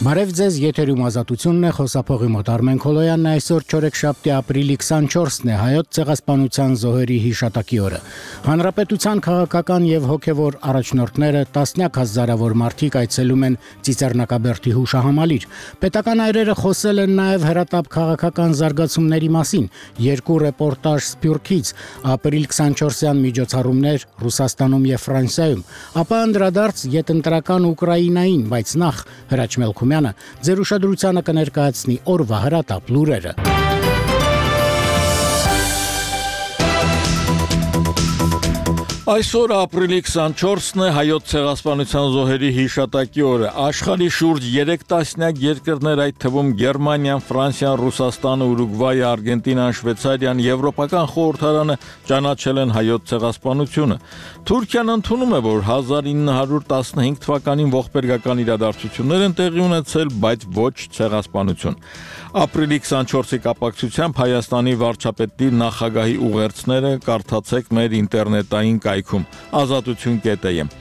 Բարև ձեզ, եթերում ազատությունն է, խոսափողի մոտ Արմեն Քոլոյանն է, այսօր չորեքշաբթի ապրիլի 24-ն է, հայոց ցեղասպանության զոհերի հիշատակի օրը։ Հանրապետության քաղաքական եւ հոգեվոր առաջնորդները տասնյակ հազարավոր մարդիկ այցելում են Ծիծեռնակաբերդի հուշահամալիր։ Պետական այրերը խոսել են նաեւ հրատապ քաղաքական զարգացումների մասին։ Երկու ռեպորտաժ Սփյուռքից, ապրիլ 24-յան միջոցառումներ Ռուսաստանում եւ Ֆրանսիայում, ապա անդրադարձ յետընտրական Ուկրաինային, բայց նախ Հրաչ Մելքումյանը ձեր ուշադրությանը կներկայացնի օրվա հրատապ լուրերը։ Այսօր ապրիլի 24-ն է հայոց ցեղասպանության զոհերի հիշատակի օրը։ Աշխարհի շուրջ 3 տասնյակ երկրներ, այդ թվում Գերմանիան, Ֆրանսիան, Ռուսաստանը, Ուրուգվայը, Արգենտինան, Շվեյցարիան, Եվրոպական խորհրդարանը ճանաչել են հայոց ցեղասպանությունը։ Թուրքիան ընդունում է, որ 1915 թվականին ողբերգական իրադարձություններ են տեղի ունեցել, բայց ոչ ցեղասպանություն։ Ապրիլի 24-ի կապակցությամբ Հայաստանի վարչապետի նախագահի ուղերձները կարդացեք մեր ինտերնետային կայքում azatutun.am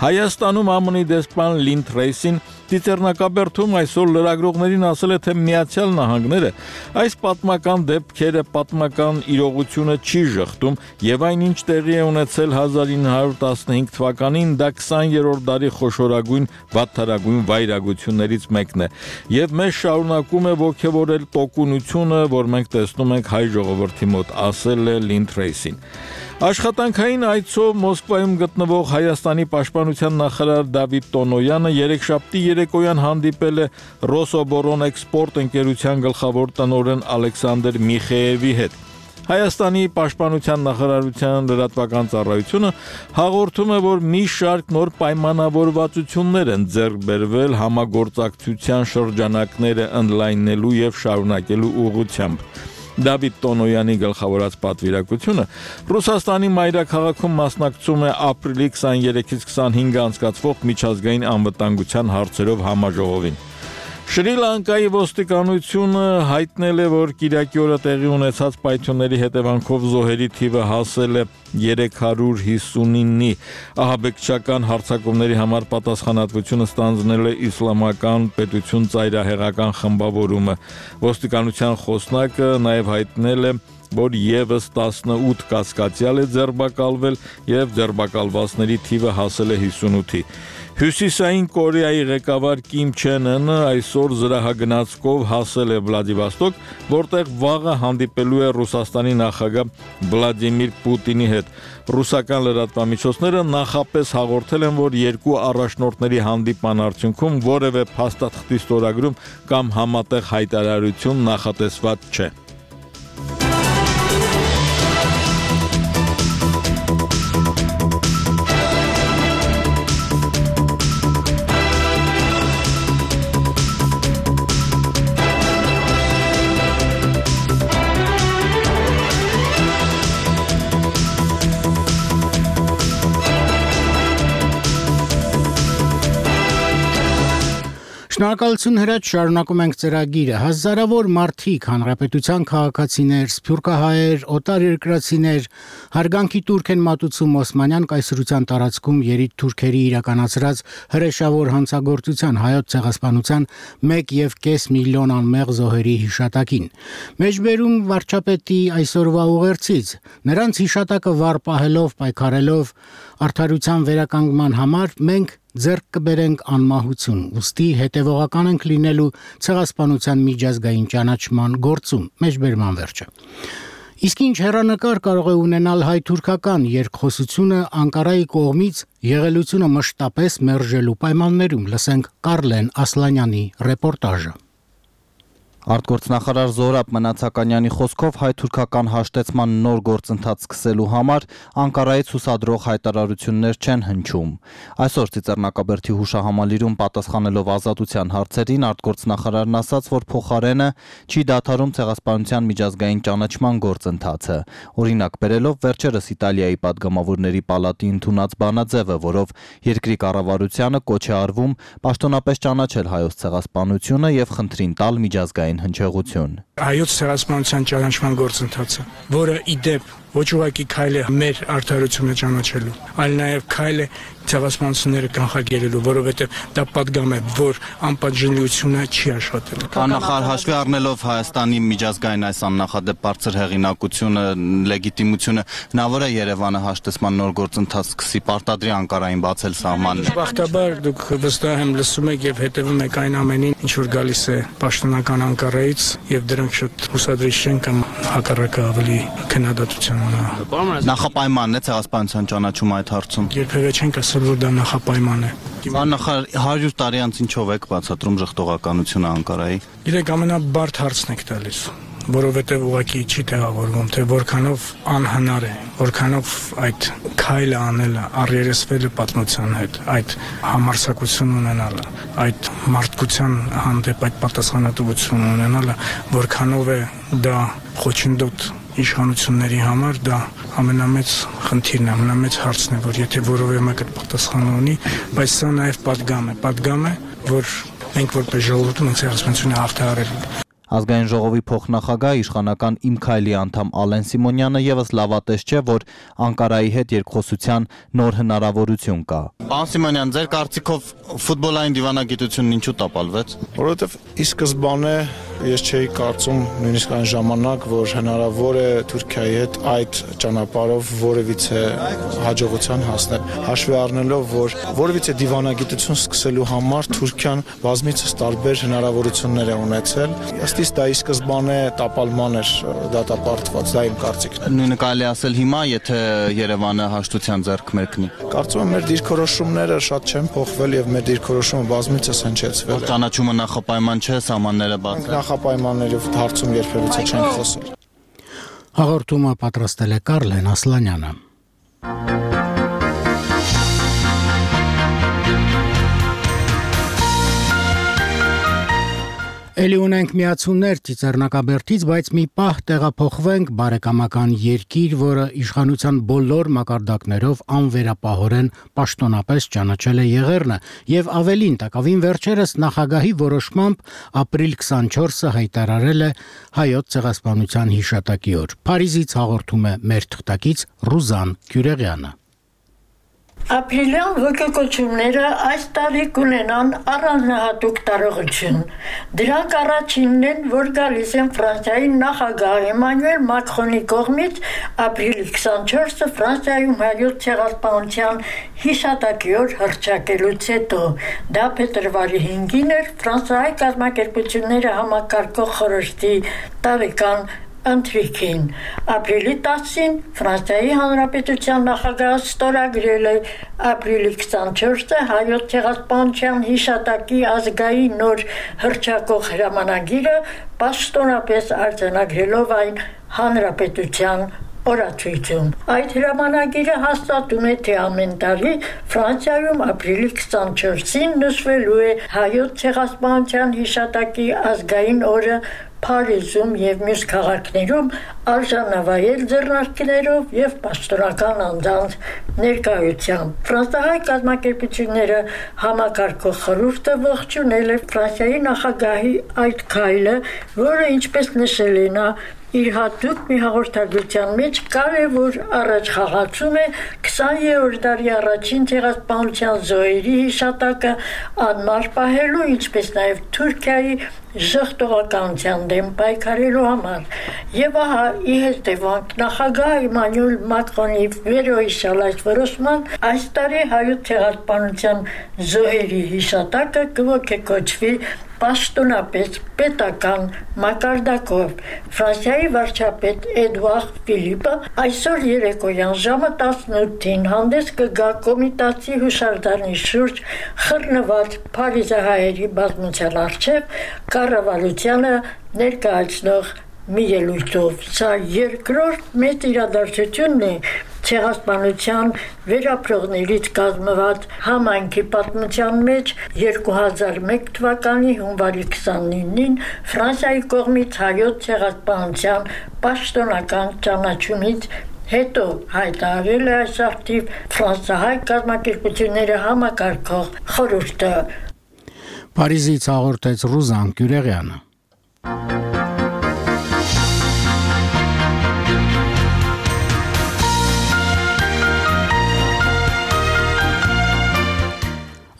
Հայաստանում ԱՄՆ-ի դեսպան Լին Թրեյսին Ծիծեռնակաբերդում այսօր լրագրողներին ասել է, թե Միացյալ Նահանգները այս պատմական դեպքերը պատմական իրողությունը չի ժխտում եւ այնինչ տեղի է ունեցել 1915 թվականին դա 20-րդ դարի խոշորագույն վատթարագույն վայրագություններից մեկն է եւ մեզ շարունակում է ողջևորել տոկունությունը, որ մենք տեսնում ենք հայ ժողովրդի մոտ, ասել է Լին Թրեյսին։ Աշխատանքային այցով Մոսկվայում գտնվող Հայաստանի պաշտպանության նախարար Դավիթ Տոնոյանը երեքշաբթի երեկոյան հանդիպել է Ռոսոբորոնեքսպորտ ընկերության գլխավոր տնօրեն Ալեքսանդր Միխեևի հետ։ Հայաստանի պաշտպանության նախարարության լրատվական ծառայությունը հաղորդում է, որ մի շարք նոր պայմանավորվածություններ են ձեռք բերվել համագործակցության շրջանակները ընդլայնելու եւ շարունակելու ուղղությամբ։ Դավիթ Տոնոյանի գլխավորած պատվիրակությունը Ռուսաստանի մայրաքաղաքում մասնակցում է ապրիլի 23-ից 25-ը անցկացվող միջազգային անվտանգության հարցերով համաժողովին։ Շրի Լանկայի ոստիկանությունը հայտնել է, որ կիրակի օրը տեղի ունեցած պայթյունների հետևանքով զոհերի թիվը հասել է 359-ի։ Ահաբեկչական հարձակումների համար պատասխանատվությունը ստանձնել է Իսլամական պետություն ծայրահեղական խմբավորումը։ Ոստիկանության խոսնակը նաև հայտնել է, որ եւս 18 կասկածյալ է ձերբակալվել եւ ձերբակալվածների թիվը հասել է 58-ի։ Հյուսիսային Կորեայի ղեկավար Կիմ Չեն Ընը այսօր զրահագնացքով հասել է Վլադիվոստոկ, որտեղ վաղը հանդիպելու է Ռուսաստանի նախագահ Վլադիմիր Պուտինի հետ։ Ռուսական լրատվամիջոցները նախապես հաղորդել են, որ երկու առաջնորդների հանդիպման արդյունքում որևէ փաստաթղթի ստորագրում կամ համատեղ հայտարարություն նախատեսված չէ։ Շնորհակալություն Հրաչ, շարունակում ենք ծրագիրը։ Հազարավոր մարդիկ, հանրապետության քաղաքացիներ, սփյուռքահայեր, օտարերկրացիներ հարգանքի տուրք են մատուցում Օսմանյան կայսրության տարածքում երիտ թուրքերի իրականացրած հրեշավոր հանցագործության հայոց ցեղասպանության 1.5 միլիոն անմեղ զոհերի հիշատակին։ Մեջբերում վարչապետի այսօրվա ուղերձից նրանց հիշատակը վառ պահելով, պայքարելով արդարության վերականգնման համար մենք ձեռք կբերենք անմահություն, ուստի հետևողական ենք լինելու ցեղասպանության միջազգային ճանաչման գործում, մեջբերման վերջը։ Իսկ ինչ հեռանկար կարող է ունենալ հայ-թուրքական երկխոսությունը Անկարայի կողմից եղելությունը մշտապես մերժելու պայմաններում, լսենք Կարլեն Ասլանյանի ռեպորտաժը։ Արտգործնախարար Զոհրաբ Մնացականյանի խոսքով հայ-թուրքական հաշտեցման նոր գործընթաց սկսելու համար Անկարայից հուսադրող հայտարարություններ չեն հնչում։ Այսօր Ծիծեռնակաբերդի հուշահամալիրում պատասխանելով ազատության հարցերին արտգործնախարարն ասաց, որ փոխարենը չի դադարում ցեղասպանության միջազգային ճանաչման գործընթացը։ Օրինակ բերելով վերջերս Իտալիայի падգամավորների պալատի ընդունած բանաձևը, որով երկրի կառավարությանը կոչ է արվում պաշտոնապես ճանաչել հայոց ցեղասպանությունը եւ խնդրին տալ միջազգային հնչեղություն։ Հայոց ցեղասպանության ճանաչման գործընթացը, որը ի դեպ ոչ ուղղակի քայլ է մեր արդարությունը ճանաչելու, այլ նաև քայլ է ցեղասպանությունները կանխարգելելու, որովհետև դա պատգամ է, որ անպատժելիությունը չի աշխատել։ Նախարար հաշվի առնելով Հայաստանի միջազգային այս աննախադեպ բարձր հեղինակությունը, լեգիտիմությունը, հնարավոր է Երևանը հաշտեցման նոր գործընթաց սկսի, պարտադրի Անկարային բացել սահմանները։ Բախտաբար դուք վստահ եմ լսում եք եւ հետևում եք այն ամենին, ինչ որ գալիս է պաշտոնական Անկարայից, եւ դրանք շատ հուսադրիչ չեն կամ հակառակը ավելի քննադատության ունի։ Նախապայմանն է ցեղասպանության ճանաչումը այդ հարցում։ Երբևէ չենք ասել, որ դա նախապայման է։ Նախարար 100 տարի անց ինչով եք բացատրում ժխտողականությունը Անկարայի։ Իրեք ամենաբարդ հարցն եք տալիս, որովհետև ուղղակի չի տեղավորվում, թե որքանով անհնար է, որքանով այդ քայլը անելը, առերեսվելը պատմության հետ, այդ համարձակություն ունենալը, այդ մարդկության հանդեպ այդ պատասխանատվություն ունենալը, որքանով է դա խոչընդոտ իշխանությունների համար, դա ամենամեծ խնդիրն է, ամենամեծ հարցն է, որ եթե որևէ մեկը պատասխան ունի, բայց սա նաև պատգամ է, որ մենք որպես ժողովուրդ ենք ցեղասպանությունը հաղթահարելու։ Ազգային ժողովի փոխնախագահ իշխանական Իմ Քայլի անդամ Ալեն Սիմոնյանը եւս լավատես չէ, որ Անկարայի հետ երկխոսության նոր հնարավորություն կա։ Պարոն Սիմոնյան, ձեր կարծիքով ֆուտբոլային դիվանագիտությունն ինչու տապալվեց։ Որովհետև ի սկզբանե ես չէի կարծում նույնիսկ այն ժամանակ, որ հնարավոր է Թուրքիայի հետ այդ ճանապարհով որևիցե հաջողության հասնել։ Հաշվի առնելով, որ որևիցե դիվանագիտություն սկսելու համար Թուրքիան բազմիցս տարբեր հնարավորություններ է ունեցել, ըստ դա ի սկզբանե տապալման էր դատապարտված, դա իմ կարծիքն է։ Նույնը կարելի ասել հիմա, եթե Երևանը հաշտության ձեռք մեկնի։ Կարծում եմ մեր դիրքորոշումները շատ չեն փոխվել եւ մեր դիրքորոշումը բազմիցս հնչեցվել է։ Ճանաչումը նախապայման չէ, սահմանները բաց։ Նախապայմանների հարցում երբևիցե չենք խոսել։ Հաղորդումը պատրաստել է Կարլեն Ասլանյանը։ Էլի ունենք միացումներ Ծիծեռնակաբերդից, բայց մի պահ տեղափոխվենք բարեկամական երկիր, որը իշխանության բոլոր մակարդակներով անվերապահորեն պաշտոնապես ճանաչել է Եղեռնը, եւ ավելին տակավին վերջերս նախագահի որոշմամբ ապրիլ 24-ը հայտարարել է հայոց ցեղասպանության հիշատակի օր։ Փարիզից հաղորդում է մեր թղթակից Ռուզան Գյուրեղյանը։ Ապրիլյան ոգեկոչումները այս տարի կունենան առանձնահատուկ տարողություն։ Դրանք առաջինն են, որ գալիս են Ֆրանսիայի նախագահ Էմանուել Մակրոնի կողմից ապրիլի 24-ը Ֆրանսիայում հայոց ցեղասպանության հիշատակի օր հռչակելուց հետո։ Դա փետրվարի 5-ին էր Ֆրանսիայի կազմակերպությունները համակարգող խորհրդի տարեկան ընթրիքին։ Ապրիլի 10-ին Ֆրանսիայի Հանրապետության նախագահը ստորագրել է ապրիլի 24-ը հայոց ցեղասպանության հիշատակի ազգային օր հռչակող հրամանագիրը, պաշտոնապես արձանագրելով այն Հանրապետության օրացույցում։ Այդ հրամանագիրը հաստատում է, թե ամեն տարի Ֆրանսիայում ապրիլի 24-ին նշվելու է հայոց ցեղասպանության հիշատակի ազգային օրը Փարիզում եւ մյուս քաղաքներում արժանավայել ձեռնարկներով եւ պաշտոնական անձանց ներկայությամբ։ Ֆրանսիահայ կազմակերպությունները համակարգող խորհուրդը ողջունել է Ֆրանսիայի նախագահի այդ քայլը, որը ինչպես նշել է նա իր հատուկ մի հաղորդագրության մեջ կարևոր առաջխաղացում է 20-րդ դարի առաջին ցեղասպանության զոհերի հիշատակը անմար պահելու, ինչպես նաև Թուրքիայի ժխտողականության դեմ պայքարելու համար։ Եվ ահա ի հետևանք նախագահ Էմանուել Մակրոնի վերոհիշյալ այս որոշման այս տարի հայոց ցեղասպանության զոհերի հիշատակը կողոքեքոչվի պաշտոնապես պետական մակարդակով։ Ֆրանսիայի վարչապետ Էդուարդ Ֆիլիպը այսօր երեկոյան ժամը 18-ին հանդես կգա կոմիտասի հուշարձանի շուրջ խռնված փարիզահայերի բազմության առջև կառավարությանը ներկայացնող մի ելույթով։ Սա երկրորդ մեծ իրադարձությունն է ցեղասպանության վերապրողներից կազմված համայնքի պատմության մեջ 2001 թվականի հունվարի 29-ին Ֆրանսիայի կողմից հայոց ցեղասպանության պաշտոնական ճանաչումից հետո հայտարարել է այս արդիվ ֆրանսահայ կազմակերպությունները համակարգող խորհուրդը։ Փարիզից հաղորդեց Ռուզան Գյուրեղյանը։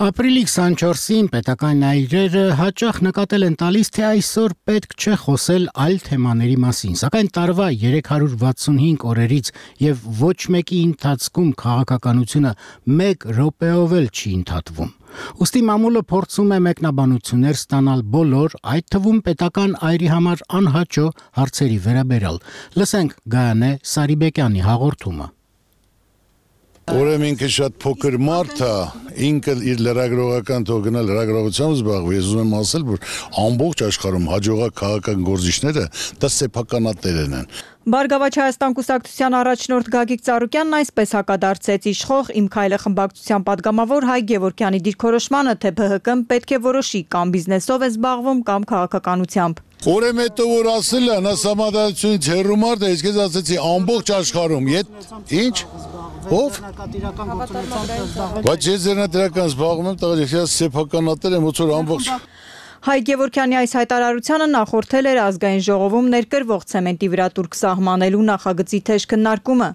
Ապրիլի 24-ին պետական այրերը հաճախ նկատել են տալիս, թե այսօր պետք չէ խոսել այլ թեմաների մասին, սակայն տարվա 365 օրերից եւ ոչ մեկի ընթացքում քաղաքականությունը 1 րոպեով էլ չի ընդհատվում։ Ուստի մամուլը փորձում է մեկնաբանություններ ստանալ բոլոր, այդ թվում պետական այրի համար անհաճո հարցերի վերաբերյալ։ Լսենք Գայանե Սարիբեկյանի հաղորդումը։ Ուրեմն ինքը շատ փոքր մարդ է, ինքը իր լրագրողական թողնալ լրագրողությամբ զբաղվում։ Ես ուզում եմ ասել, որ ամբողջ աշխարհում հաջողակ քաղաքական գործիչները դա սեփականատերն են։ Բարգավաճ Հայաստան կուսակցության առաջնորդ Գագիկ Ծառուկյանն այսպես հակադարձեց իշխող Իմ քայլը խմբակցության падգամավոր Հայ Գևորգյանի դիրքորոշմանը, թե ԲՀԿ-ն պետք է որոշի կամ բիզնեսով է զբաղվում կամ քաղաքականությամբ։ Ուրեմն հետո որ ասել են, նա համադարությունից հեռու մարդ է, ես ասեցի ամբողջ աշխարհում, ինչ? Ով? Բայց ես ձեռնադրական զբաղվում եմ, տղա, ես սեփականատեր եմ, ոնց որ ամբողջ Հայ Գևորգյանի այս հայտարարությանը նախորդել էր ազգային ժողովում ներկրվող ցեմենտի վրա տուրք սահմանելու նախագծի թեժ քննարկումը։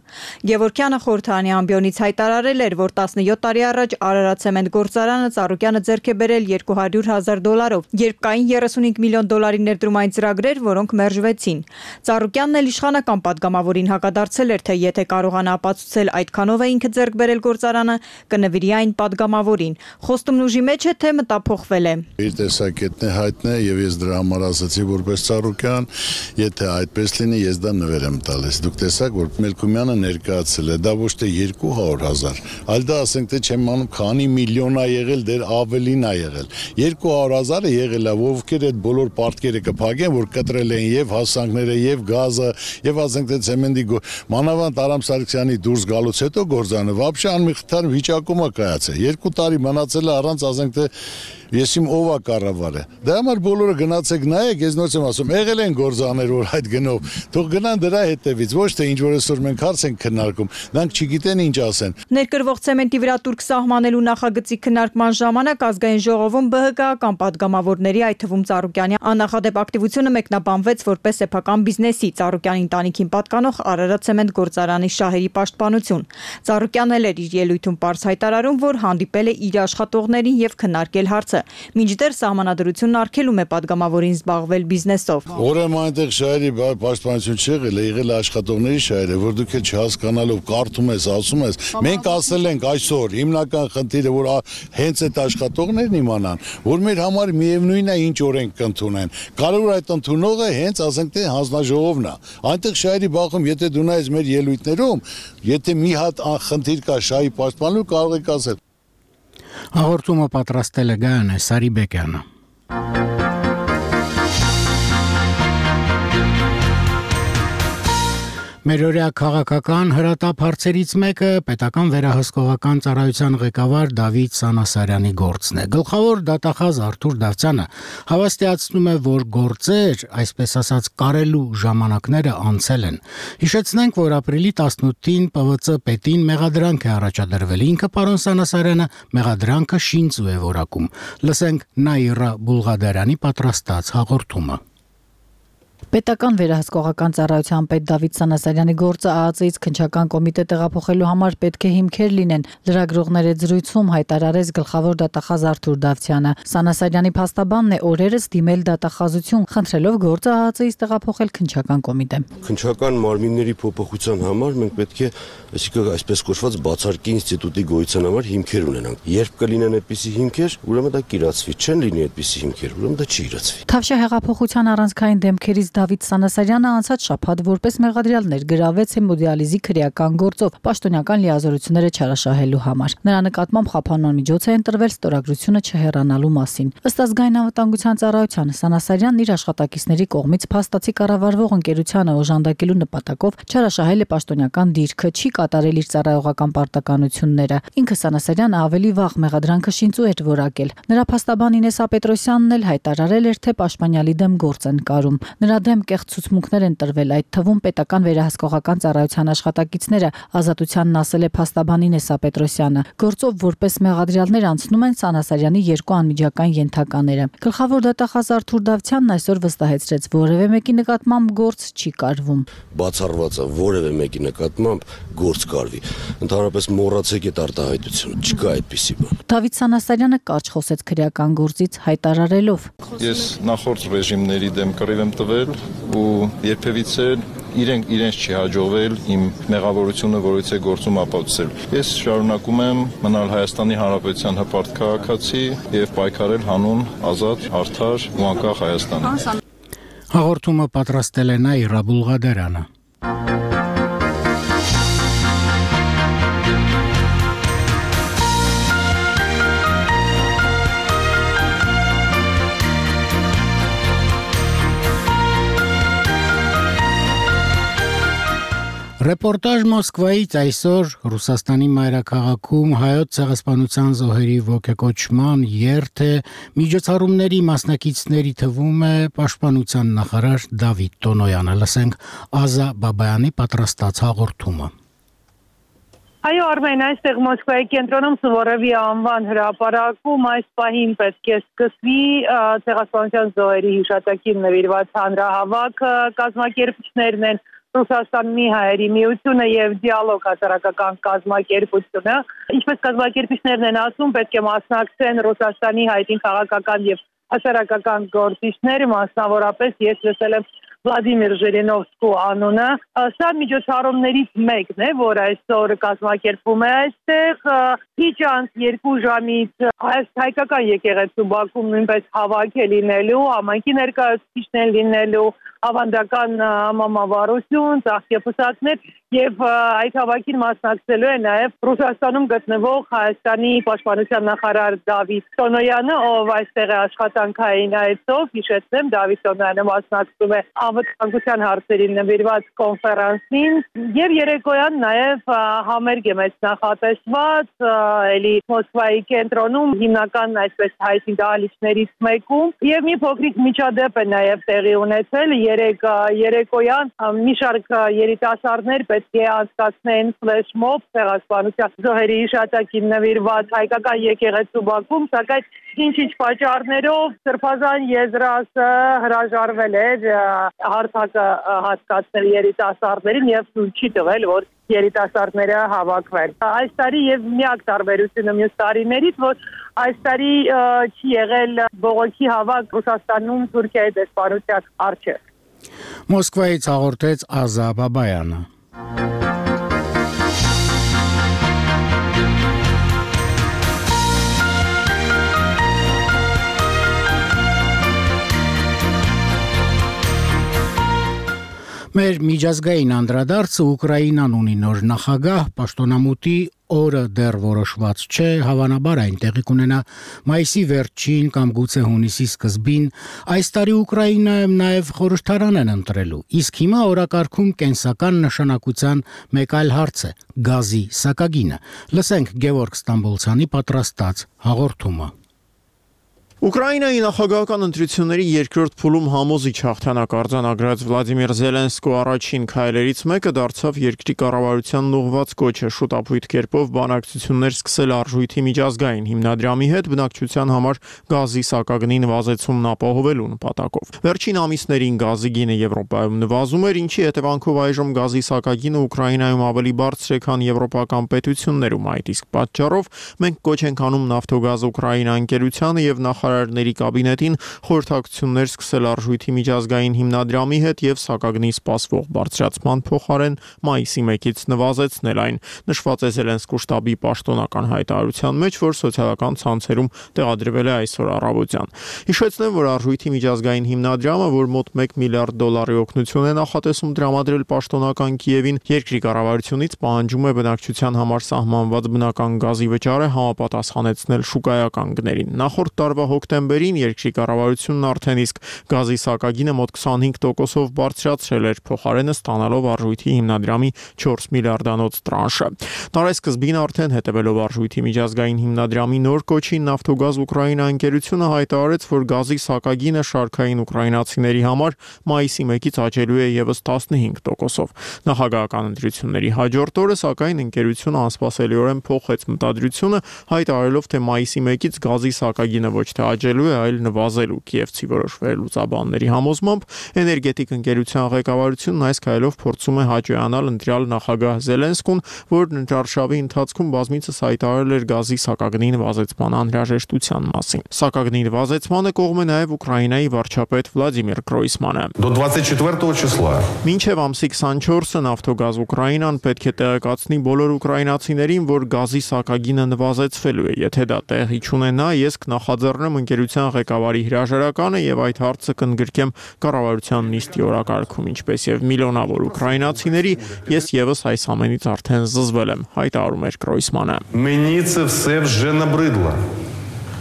Գևորգյանը խորհրդարանի ամբիոնից հայտարարել էր, որ 17 տարի առաջ Արարատցեմենտ գործարանը Ծառուկյանը ձեռք է բերել $200,000, երբ կային 35 միլիոն դոլարի ներդրումային ծրագրեր, որոնք մերժվեցին։ Ծառուկյանն էլ իշխանական падգամավորին հակադարձել էր, թե եթե կարողանա ապացուցել այդքանով է ինքը ձեռք բերել գործարանը, կնվիրի այն падգամավորին։ Խոստումն ուժի մեջ է, թե մտափոխվել է։ Հայտնի է եւ ես դրա համար ասացի որպես Ծառուկյան, եթե այդպես լինի, ես դա նվեր եմ տալիս։ Դուք տեսաք, որ Մելքումյանը ներկայացել է, դա ոչ թե 200,000, այլ դա ասենք թե չեմ անում, քանի միլիոն է եղել, դեր ավելին է եղել։ 200,000-ը եղել է, ովքեր այդ բոլոր պարտքերը կփակեն, որ կտրել են եւ հասանքները, եւ գազը, եւ ասենք թե ցեմենտի մանավանդ Արամ Սարգսյանի դուրս գալուց հետո գործանը вообще անմիղթար վիճակում է կայացել։ 2 տարի մնացել է առանց ասենք թե ես իմ ով է կառավարը։ Դա համար բոլորը գնացեք նայեք, ես նույնպես եմ ասում, եղել են գործաներ, որ այդ գնով, թող գնան դրա հետևից, ոչ թե ինչ որ այսօր մենք հարց ենք քննարկում, նրանք չգիտեն ինչ ասեն։ Ներկրվող ցեմենտի վրա տուրք սահմանելու նախագծի քննարկման ժամանակ ազգային ժողովում ԲՀԿ-ական падգամավորների, այդ թվում Ծառուկյանի աննախադեպ ակտիվությունը մեկնաբանվեց որպես սեփական բիզնեսի Ծառուկյանի ընտանիքին պատկանող Արարատցեմենտ գործարանի շահերի պաշտպանություն։ Ծառուկյանն էլ էր իր ելույթում պարզ հայտարարում, որ հանդիպել է իր աշխատողներին եւ քննարկել հարցը։ Մինչդեռ սահմանադրությունն արգելում է падգամավորին զբաղվել բիզնեսով։ Ուրեմն այնտեղ շահերի պաշտպանություն չեղել է, եղել է աշխատողների շահերը, որ դուք չհասկանալով կարդում ես, ասում ես, մենք ասել ենք այսօր հիմնական խնդիրը, որ հենց այդ աշխատողներն իմանան, որ մեր համար միևնույն է ինչ օրենք կընդունեն։ Կարող է այդ ընդունողը հենց ասենք թե հանձնաժողովն է։ Այնտեղ շահերի բախում, եթե դու նայես մեր ելույթներում, եթե մի հատ խնդիր կա շահի պաշտպանելու, կարող եք ասել։ Հաղորդումը պատրաստել է Գայանե Սարիբեկյանը։ Մերօրյա քաղաքական հրատապ հարցերից մեկը պետական վերահսկողական ծառայության ղեկավար Դավիթ Սանասարյանի գործն է։ Գլխավոր դատախազ Արթուր Դավթյանը հավաստիացնում է, որ գործեր, այսպես ասած, կարելու ժամանակները անցել են։ Հիշեցնենք, որ ապրիլի 18-ին ՊՎԾ պետին մեղադրանք է առաջադրվել։ Ինքը պարոն Սանասարյանը մեղադրանքը շինծու է որակում։ Լսենք Նաիրա Բուլղադարյանի պատրաստած հաղորդումը։ Պետական վերահսկողական ծառայության պետ Դավիթ Սանասարյանի գործը ԱԱԾ-ից քննչական կոմիտե տեղափոխելու համար պետք է հիմքեր լինեն, լրագրողների զրույցում հայտարարեց գլխավոր դատախազ Արթուր Դավթյանը։ Սանասարյանի փաստաբանն է օրերս դիմել դատախազություն, խնդրելով գործը ԱԱԾ-ից տեղափոխել քննչական կոմիտե։ Քննչական մարմինների փոփոխության համար մենք պետք է, այսինքն այսպես կոչված բացարկի ինստիտուտի գոյության համար հիմքեր ունենանք։ Երբ կլինեն այդպիսի հիմքեր, ուրեմն դա կիրացվի, չեն լինի այդպիսի հիմքեր, ուրեմն դա չի իրացվի։ Թավշյա հեղափոխության առանցքային դեմքերից Դավիթ Սանասարյանը անցած շաբաթ որպես մեղադրյալ ներգրավեց հեմոդիալիզի քրեական գործով պաշտոնական լիազորությունները չարաշահելու համար։ Նրա նկատմամբ խափանման միջոց է ընտրվել ստորագրությունը չհեռանալու մասին։ Ըստ ազգային անվտանգության ծառայության Սանասարյանն իր աշխատակիցների կողմից փաստացի կառավարվող ընկերությանը օժանդակելու նպատակով չարաշահել է պաշտոնական դիրքը, չի կատարել իր ծառայողական պարտականությունները։ Ինքը Սանասարյանը ավելի վաղ մեղադրանքը շինծու էր որակել։ Նրա փաստաբան Ինեսա Պետրոսյանն էլ հայտարարել էր, թե պաշտպանյալի դեմ գործ են կարում։ Նրա Նրա դեմ կեղծ ցուցմունքներ են տրվել, այդ թվում պետական վերահսկողական ծառայության աշխատակիցները, Ազատությանն ասել է փաստաբանի Նեսա Պետրոսյանը։ Գործով որպես մեղադրյալներ անցնում են Սանասարյանի երկու անմիջական ենթակաները։ Գլխավոր դատախազ Արթուր Դավթյանն այսօր վստահեցրեց, որևէ մեկի նկատմամբ գործ չի կարվում։ Բացառված է որևէ մեկի նկատմամբ գործ կարվի։ Ընդհանրապես մոռացեք այդ արտահայտությունը, չկա այդպիսի բան։ Դավիթ Սանասարյանը կարճ խոսեց քրեական գործից հայտարարելով. Ես նախորդ ռեժիմների դեմ կռիվ եմ տվել ու երբևիցե իրենց չի հաջողվել իմ մեղավորությունը որից է գործում ապացուցել։ Ես շարունակում եմ մնալ Հայաստանի Հանրապետության հպարտ քաղաքացի եւ պայքարել հանուն ազատ, արդար ու անկախ Հայաստանի։ Հաղորդումը պատրաստել է Նաիրա Բուլղադարյանը։ Ռեպորտաժ Մոսկվայից այսօր Ռուսաստանի մայրաքաղաքում հայոց ցեղասպանության զոհերի ոգեկոչման երթ է, միջոցառումների մասնակիցների թվում է Պաշտպանության նախարար Դավիթ Տոնոյանը։ Լսենք Ազա Բաբայանի պատրաստած հաղորդումը։ Այո, Արմեն, այստեղ Մոսկվայի կենտրոնում Սուվորովի անվան հրապարակում այս պահին պետք է սկսվի ցեղասպանության զոհերի հիշատակին նվիրված հանրահավաք, կազմակերպիչներն են Ռուսաստանի հայերի միությունը եւ դիալոգ հասարակական կազմակերպությունը, ինչպես կազմակերպիչներն են ասում, պետք է մասնակցեն Ռուսաստանի հայտին քաղաքական եւ հասարակական գործիչներ, մասնավորապես ես լսել եմ Վլադիմիր Ժիրինովսկու անունը, սա միջոցառումներից մեկն է, որ այսօր կազմակերպվում է այստեղ, քիչ անց 2 ժամից հայկական եկեղեցու բակում նույնպես հավաք է լինելու, համայնքի ներկայացուցիչներ լինելու, ավանդական մամավարություն, ծաղկեպսակներ եւ այդ հավաքին մասնակցելու է նաեւ Ռուսաստանում գտնվող Հայաստանի պաշտպանության նախարար Դավիթ Տոնոյանը, ով այստեղ է աշխատանքային այցով, հիշեցնեմ, Դավիթ Տոնոյանը մասնակցում է անվտանգության հարցերին նվիրված կոնֆերանսին եւ երեկոյան նաեւ համերգ է մեծ նախատեսված էլի Մոսկվայի կենտրոնում հիմնական այսպես հայտի դահլիճներից մեկում եւ մի փոքրիկ միջադեպ է նաեւ տեղի ունեցել երեկոյան մի շարք երիտասարդներ պետք է անցկացնեն ֆլեշմոբ ցեղասպանության զոհերի հիշատակին նվիրված հայկական եկեղեցու բակում, սակայն ինչ-ինչ պատճառներով Սրբազան եզրասը հրաժարվել էր հարթակը հասկացնել երիտասարդներին եւ չի տվել, որ երիտասարդները հավաքվեն։ Այս տարի եւ միակ տարբերությունը մյուս տարիներից, որ այս տարի չի եղել բողոքի հավաք Ռուսաստանում Թուրքիայի դեսպանության առջև։ Մոսկվայից հաղորդեց Ազա Բաբայանը։ Մեր միջազգային անդրադարձը Ուկրաինան ունի նոր նախագահ, պաշտոնամուտի օրը դեռ որոշված չէ, հավանաբար այն տեղի կունենա մայիսի վերջին կամ գուցե հունիսի սկզբին։ Այս տարի Ուկրաինայում նաև խորհրդարան են ընտրելու, իսկ հիմա օրակարգում կենսական նշանակության մեկ այլ հարց է՝ գազի սակագինը։ Լսենք Գևորգ Ստամբոլցյանի պատրաստած հաղորդումը։ Ուկրաինայի նախագահական ընտրությունների երկրորդ փուլում համոզիչ հաղթանակ արձանագրած Վլադիմիր Զելենսկու առաջին քայլերից մեկը դարձավ երկրի կառավարությանն ուղղված կոչը շուտապույտ կերպով բանակցություններ սկսել արժույթի միջազգային հիմնադրամի հետ բնակչության համար գազի սակագնի նվազեցումն ապահովելու նպատակով։ Վերջին ամիսներին գազի գինը Եվրոպայում նվազում էր, ինչի հետևանքով այժմ գազի սակագինը Ուկրաինայում ավելի բարձր է, քան եվրոպական պետություններում։ Այդ իսկ պատճառով մենք կոչ ենք անում Նավթոգազ Ուկրաինա ընկերությանը եւ նախարարների կաբինետին խորհրդակցություններ սկսել արժույթի միջազգային հիմնադրամի հետ եւ սակագնի սպասվող բարձրացման փոխարեն մայիսի 1-ից նվազեցնել այն, նշված է Զելենսկու շտաբի պաշտոնական հայտարարության մեջ, որ սոցիալական ցանցերում տեղադրվել է այսօր առավոտյան։ Հիշեցնեմ, որ արժույթի միջազգային հիմնադրամը, որ մոտ $1 միլիարդ օգնություն է նախատեսում տրամադրել պաշտոնական Կիևին, երկրի կառավարությունից պահանջում է բնակչության համար սահմանված բնական գազի վճարը համապատասխանեցնել շուկայական գներին։ Նախորդ տարվա հոկտեմբերին երկրի կառավարությունն արդեն իսկ գազի սակագինը մոտ 25%-ով բարձրացրել էր, փոխարենը ստանալով արժույթի հիմնադրամի 4 միլիարդանոց տրանշը։ Տարեսկզբին արդեն հետևելով արժույթի միջազգային հիմնադրամի նոր կոչին Նավթոգազ Ուկրաինա ընկերությունը հայտարարեց, որ գազի սակագինը շարքային ուկրաինացիների համար մայիսի 1-ից աճելու է եւս 15%-ով։ Նախագահական ընտրությունների հաջորդ օրը, սակայն ընկերությունը անսպասելիորեն փոխեց մտադրությունը, հայտարարելով, թե մայիսի 1-ից գազի սակագինը ոչ թե աճելու է, այլ նվազելու։ Կիևցի որոշ վերլուծաբանների համոզմամբ էներգետիկ ընկերության ղեկավարությունն այս քայլով փորձում է հաճոյանալ ընտրյալ նախագահ Զելենսկուն, որն ընտրարշավի ընթացքում բազմիցս հայտարարել էր գազի սակագնի նվազեցման անհրաժեշտության մասին։ Սակագնի նվազեցմանը կողմ է նաև Ուկրաինայի վարչապետ Վլադիմիր Գրոյսմանը։ До 24 числа Մինչև ամսի 24-ը Նավթոգազ Ուկրաինան պետք է տեղեկացնի բոլոր ուկրաինացիներին, որ գազի սակագինը նվազեցվելու է։ Եթե դա տեղի չունենա, ես կնախաձեռնեմ ընկերության ղեկավարի հրաժարականը եւ այդ հարցը կընդգրկեմ կառավարության նիստի օրակարգում, ինչպես եւ միլիոնավոր ուկրաինացիների, ես եւս այս ամենից արդեն զզվել եմ, հայտարարում էր Գրոյսմանը։ Мені це все вже набридло,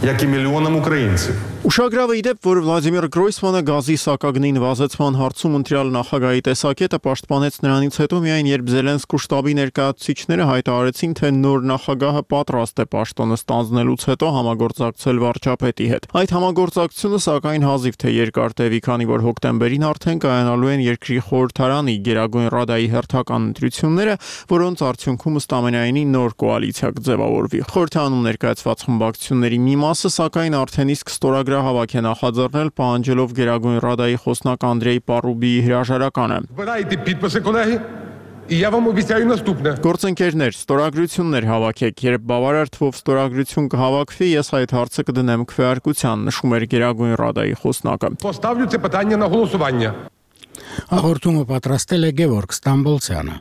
як і мільйонам українців. Ուշագրավ է իդեպ, որ Վլադիմիր Գրոյսմանը գազի սակագնի նվազեցման հարցում ընտրյալ նախագահի տեսակետը պաշտպանեց նրանից հետո միայն, երբ Զելենսկու շտաբի ներկայացուցիչները հայտարարեցին, թե նոր նախագահը պատրաստ է պաշտոնը ստանձնելուց հետո համագործակցել վարչապետի հետ։ Այդ համագործակցությունը սակայն հազիվ թե երկար տևի, քանի որ հոկտեմբերին արդեն կայանալու են երկրի խորհրդարանի Գերագույն Ռադայի հերթական ընտրությունները, որոնց արդյունքում ըստամենայնի նոր կոալիցիա կձևավորվի։ Խորհրդարանում ներկայացված խմբակցությունների մի մասը սակայն արդեն իսկ ստորագրահավաք է նախաձեռնել, պահանջելով Գերագույն Ռադայի խոսնակ Անդրեյ Պարուբիի հրաժարականը։ Збирайте підписи, колеги, і я вам обіцяю наступне. Գործընկերներ, ստորագրություններ հավաքեք, երբ բավարար թվով ստորագրություն կհավաքվի, ես այդ հարցը կդնեմ քվեարկության, նշում էր Գերագույն Ռադայի խոսնակը։ Поставлю це питання на голосування. Հաղորդումը պատրաստել է Գևորգ Ստամբոլցյանը։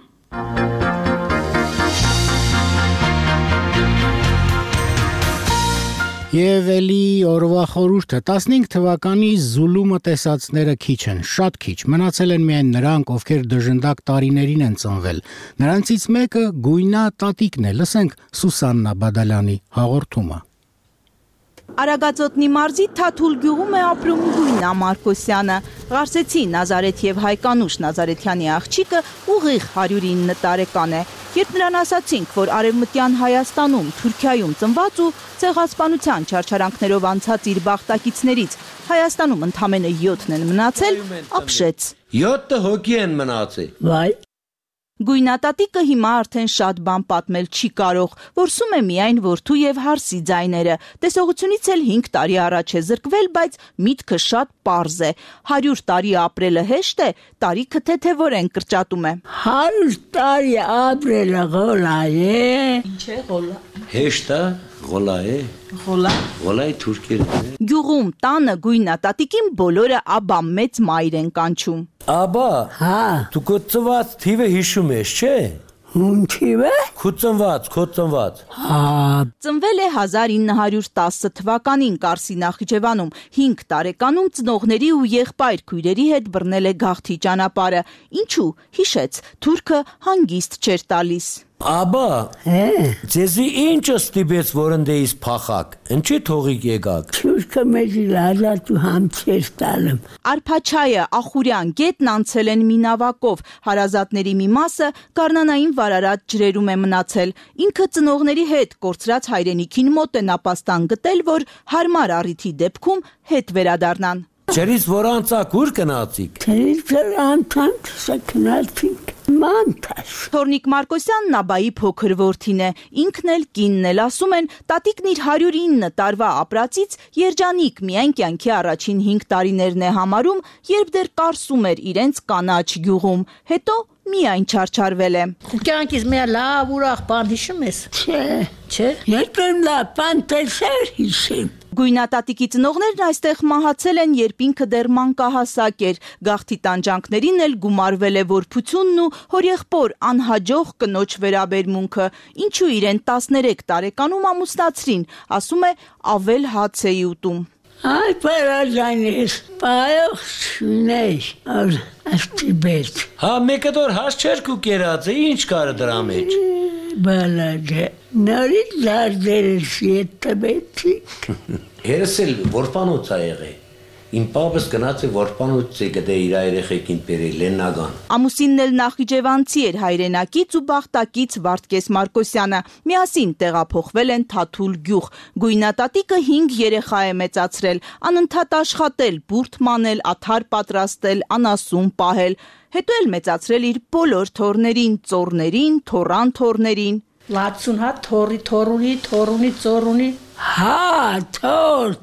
Եվ էլի օրվա խորհուրդը 15 թվականի Զուլումը տեսածները քիչ են, շատ քիչ։ Մնացել են միայն նրանք, ովքեր դժնդակ տարիներին են ծնվել։ Նրանցից մեկը Գույնա տատիկն է։ Լսենք Սուսաննա Բադալյանի հաղորդումը։ Արագածոտնի մարզի Թաթուլ գյուղում է ապրում Գույնա Մարկոսյանը։ Ղարսեցի Նազարեթ եւ Հայկանուշ Նազարեթյանի աղջիկը ուղիղ 109 տարեկան է։ Երբ նրան ասացինք, որ արևմտյան Հայաստանում, Թուրքիայում ծնված ու ցեղասպանության չարչարանքներով անցած իր բախտակիցներից Հայաստանում ընդամենը 7-ն են մնացել, ապշեց։ 7 հոգի են մնացել։ Վայ։ Գույնատատիկը հիմա արդեն շատ բան պատմել չի կարող, որսում է միայն որդու եւ հարսի ձայները։ Տեսողությունից էլ 5 տարի առաջ է զրկվել, բայց միտքը շատ պարզ է։ 100 տարի ապրելը հեշտ է, տարիքը թեթևորեն կրճատում է։ 100 տարի ապրելը գոլա է։ Ինչ է գոլա։ Հեշտ է, գոլա է։ Գոլա է թուրքերեն։ Գյուղում տանը Գույնատատիկին բոլորը աբա մեծ մայր են կանչում։ Աբա, հա, դու քո ծնված թիվը հիշում ես, չէ՞։ Ում թիվը։ Քո ծնված։ Հա։ Ծնվել է 1910 թվականին Կարսի Նախիջևանում, 5 տարեկանում ծնողների ու եղբայր քույրերի հետ բռնել է գաղթի ճանապարհը։ Ինչու, հիշեց, թուրքը հանգիստ չէր տալիս։ Աբա, ձեզի ինչ ստիպեց, որ ընդեից փախակ, ինչի թողիկ եկաք։ Թուրքը մեզ լազատ ու համցեր տալım։ Արփաչայը, Ախուրյան, գետն անցել են մինավակով, հարազատների մի մասը գառնանային վարարած ջրերում է մնացել։ Ինքը ծնողների հետ կորցրած հայրենիքին մոտ է նապաստան գտել, որ հարմար առիթի դեպքում հետ վերադառնան։ Ջերից որ անցակ ուր գնացիք։ Ջերից անցանք, սակնացինք։ Մանտաշ։ Թորնիկ Մարկոսյանն աբայի փոքր որդին է, ինքն էլ կինն էլ, ասում են, տատիկն իր 109 տարվա ապրածից երջանիկ միայն կյանքի առաջին 5 տարիներն է համարում, երբ դեռ կարսում էր իրենց կանաչ գյուղում, հետո միայն չարչարվել է։ Կյանքից մի լավ ուրախ բան հիշում ես։ Չէ։ Երբեք լավ բան տեսար հիշեմ։ Գույնատատիկի ծնողներն այստեղ մահացել են, երբ ինքը դեռ մանկահասակ էր, գաղթի տանջանքներին էլ գումարվել է որբությունն ու հորեղբոր անհաջող կնոջ վերաբերմունքը, ինչու իրեն 13 տարեկանում ամուսնացրին, ասում է ավել հաց էի ուտում։ Ay պարաժանես, պայող շունեի, աստիբետ։ Հա մեկը դոր հաց չեր կու կերած է, ինչ կարը դրա մեջ։ բալաջը նորից դարձերս ետտաբեցիկ Հերսել որպանոց ա եղե Իմ պապս գնաց է որպանոց է գտե իր երեխեքին բերել Լեննագան Ամուսինն էլ Նախիջևանցի էր հայրենակից ու բախտակից Վարդգես Մարկոսյանը միասին տեղափոխվել են Թաթուլ գյուղ Գույնատատիկը 5 երեխա է մեծացրել անընդհատ աշխատել բուրդ մանել աթար պատրաստել անասուն պահել հետո էլ մեծացրել իր բոլոր թորներին ծորներին թորան թորներին 60 հատ թորի թորունի ծորունի հա թոր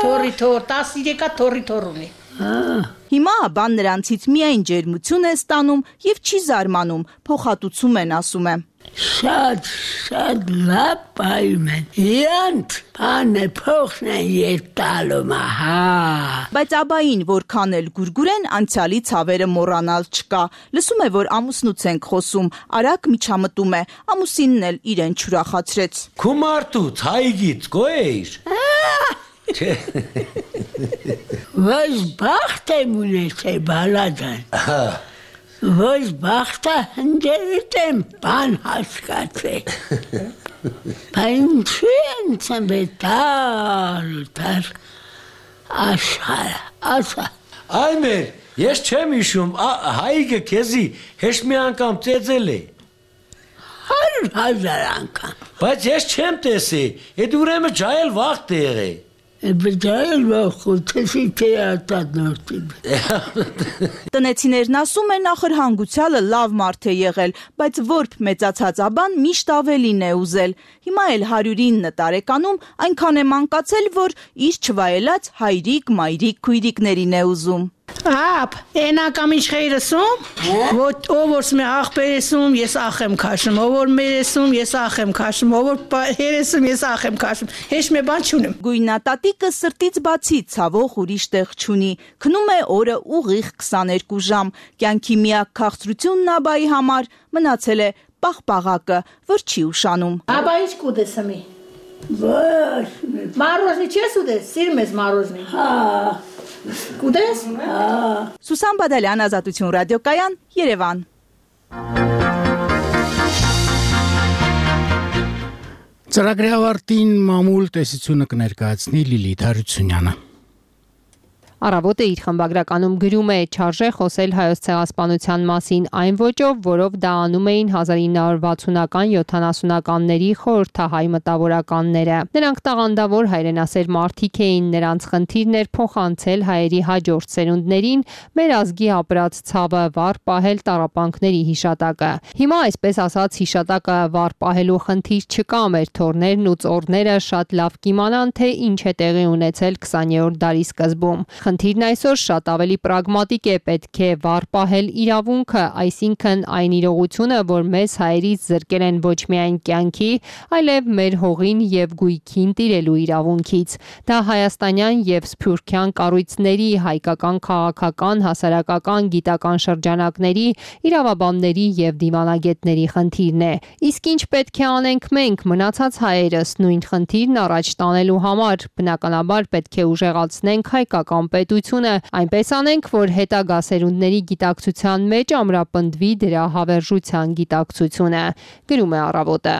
Թորի 13 հատ թորունի Հիմա բան նրանցից միայն ջերմություն է ստանում եւ չի զարմանում փոխհատուցում են ասում է Շատ լավ պայում են Յանտ բանը փոխն են երտալում հա Բայց աբային որքան էլ գուրգուրեն անցյալի ցավերը մոռանալ չկա լսում է որ ամուսնուց ենք խոսում արագ միջամտում է ամուսինն էլ իրեն չուրախացրեց Քումարտուց հայգից գոյեր Ոս բախտ եմ ունեցել բալաջան Ոս բախտը հնջերիտ եմ բան հասկացել Բայց ինչ եմ բետալ աշխարը ասա Այ մեր ես չեմ իշում հայգը քեզի հեշտ մի անգամ ծեծել է 100,000 անգամ Բայց ես չեմ տեսի Էդ ուրեմն ջայել վաղտ է եղե Բջայել վախոտեսի թեատատ նորտի Տնեցիներն ասում են ախր հանգուցյալը լավ մարդ է եղել, բայց որբ մեծացած աբան միշտ ավելին է ուզել։ Հիմա էլ 109 տարեկանում այնքան է մանկացել, որ իր չվայելած հայրիկ, մայրիկ, քույրիկներին է ուզում։ Ապ, էնակամ ինչ խեյրսում, ով որ սմե աղպերեսում, ես ախ եմ քաշում, ով որ մերեսում, ես ախ եմ քաշում, ով որ հերեսում, ես ախ եմ քաշում, հեշ մե բան չունեմ։ Գույնատատիկը սրտից բացի ցավող ուրիշ տեղ չունի, քնում է օրը ուղիղ 22 ժամ, կյանքի միակ քաղցրությունն աբայի համար մնացել է պաղպաղակը, որ չի ուշանում։ Աբա ինչ կուտեսմի։ Ոչ, մարոզնի չես ուտես, սիրում ես մարոզնի։ Հա։ Կուտես։ Սուսան Բադալյան, Ազատություն ռադիոկայան, Երևան։ Ծրագրի ավարտին մամուլ տեսությունը կներկայացնի Լիլիթ Հարությունյանը։ Առավոտը իր խմբագրականում գրում է չարժե խոսել հայոց ցեղասպանության մասին այն ոճով, որով դա անում էին 1960-ական 70-ականների խորհրդահայ մտավորականները։ Նրանք տաղանդավոր հայրենասեր մարդիկ էին, նրանց խնդիրն էր փոխանցել հայերի հաջորդ սերունդներին մեր ազգի ապրած ցավը վառ պահել տառապանքների հիշատակը։ Հիմա այսպես ասած հիշատակը վառ պահելու խնդիր չկա, մեր թորներն ու ծորները շատ լավ կիմանան, թե ինչ է տեղի ունեցել 20-րդ դարի սկզբում։ Խնդիրն այսօր շատ ավելի պրագմատիկ է, պետք է վառ պահել իրավունքը, այսինքն այն իրողությունը, որ մեզ հայերից զրկել են ոչ միայն կյանքի, այլև մեր հողին եւ գույքին տիրելու իրավունքից։ Դա հայաստանյան եւ սփյուռքյան կառույցների, հայկական քաղաքական, հասարակական, գիտական շրջանակների, իրավաբանների եւ դիվանագետների խնդիրն է։ Իսկ ինչ պետք է անենք մենք, մնացած հայերս, նույն խնդիրն առաջ տանելու համար, բնականաբար պետք է ուժեղացնենք հայկական պետությունը, այնպես անենք, որ հետագա սերունդների գիտակցության մեջ ամրապնդվի դրա հավերժության գիտակցությունը, գրում է Առավոտը։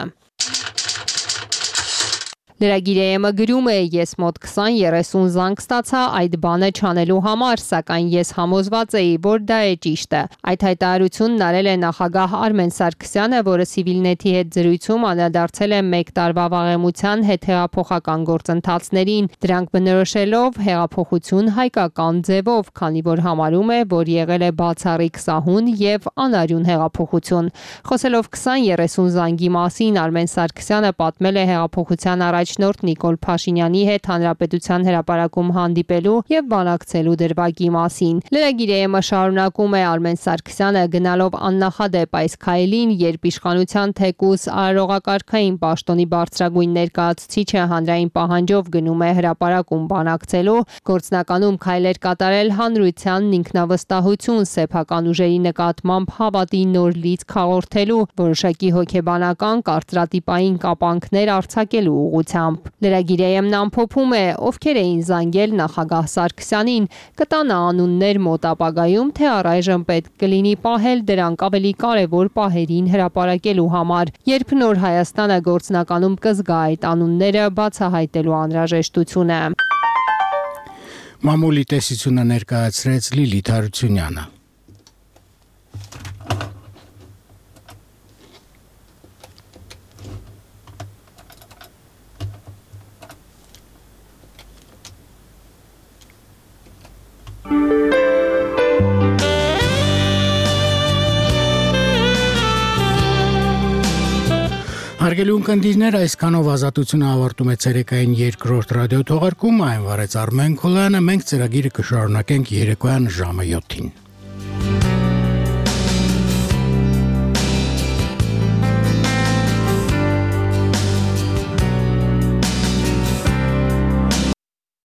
Լրագիրը գրում է ես մոտ 20-30 զանգ ստացա այդ բանը չանելու համար, սակայն ես համոզված էի, որ դա է ճիշտը։ Այդ հայտարարությունն արել է նախագահ Արմեն Սարգսյանը, որը Civilnet-ի հետ զրույցում անդրադարձել է 1 տարվա վաղեմության հետ հեղափոխական գործընթացներին, դրանք բնորոշելով հեղափոխություն հայկական ձևով, քանի որ համարում է, որ եղել է բացառիկ սահուն եւ անարյուն հեղափոխություն։ Խոսելով 20-30 զանգի մասին, Արմեն Սարգսյանը պատմել է հեղափոխության առաջնորդ Նիկոլ Փաշինյանի հետ հանրապետության հրապարակում հանդիպելու եւ բանակցելու դրվագի մասին։ Լրագիրը շարունակում է Արմեն Սարգսյանը գնալով աննախադեպ այս քայլին, երբ իշխանության թեկուս արարողակարգային պաշտոնի բարձրագույն ներկայացուցիչը հանրային պահանջով գնում է հրապարակում բանակցելու, գործնականում քայլեր կատարել հանրությանն ինքնավստահություն, սեփական ուժերի նկատմամբ հավատի նոր լիցք հաղորդելու, որոշակի հոգեբանական կարծրատիպային կապանքներ արձակելու ուղղությամբ։ ուղղությամբ։ Լրագիրայեմն ամփոփում է, ովքեր էին զանգել նախագահ Սարգսյանին, կտան անուններ մոտ ապագայում, թե առայժմ պետք կլինի պահել դրանք ավելի կարևոր պահերին հրապարակելու համար, երբ նոր Հայաստանը գործնականում կզգա այդ անունները բացահայտելու անհրաժեշտությունը։ Մամուլի տեսությունը ներկայացրեց Լիլիթ Հարությունյանը։ Հարգելի ունկնդիրներ, այսքանով ազատությունը ավարտում է ցերեկային երկրորդ ռադիոթողարկումը, այն վարեց Արմեն Քոլյանը, մենք ծրագիրը կշարունակենք երեկոյան ժամը 7-ին։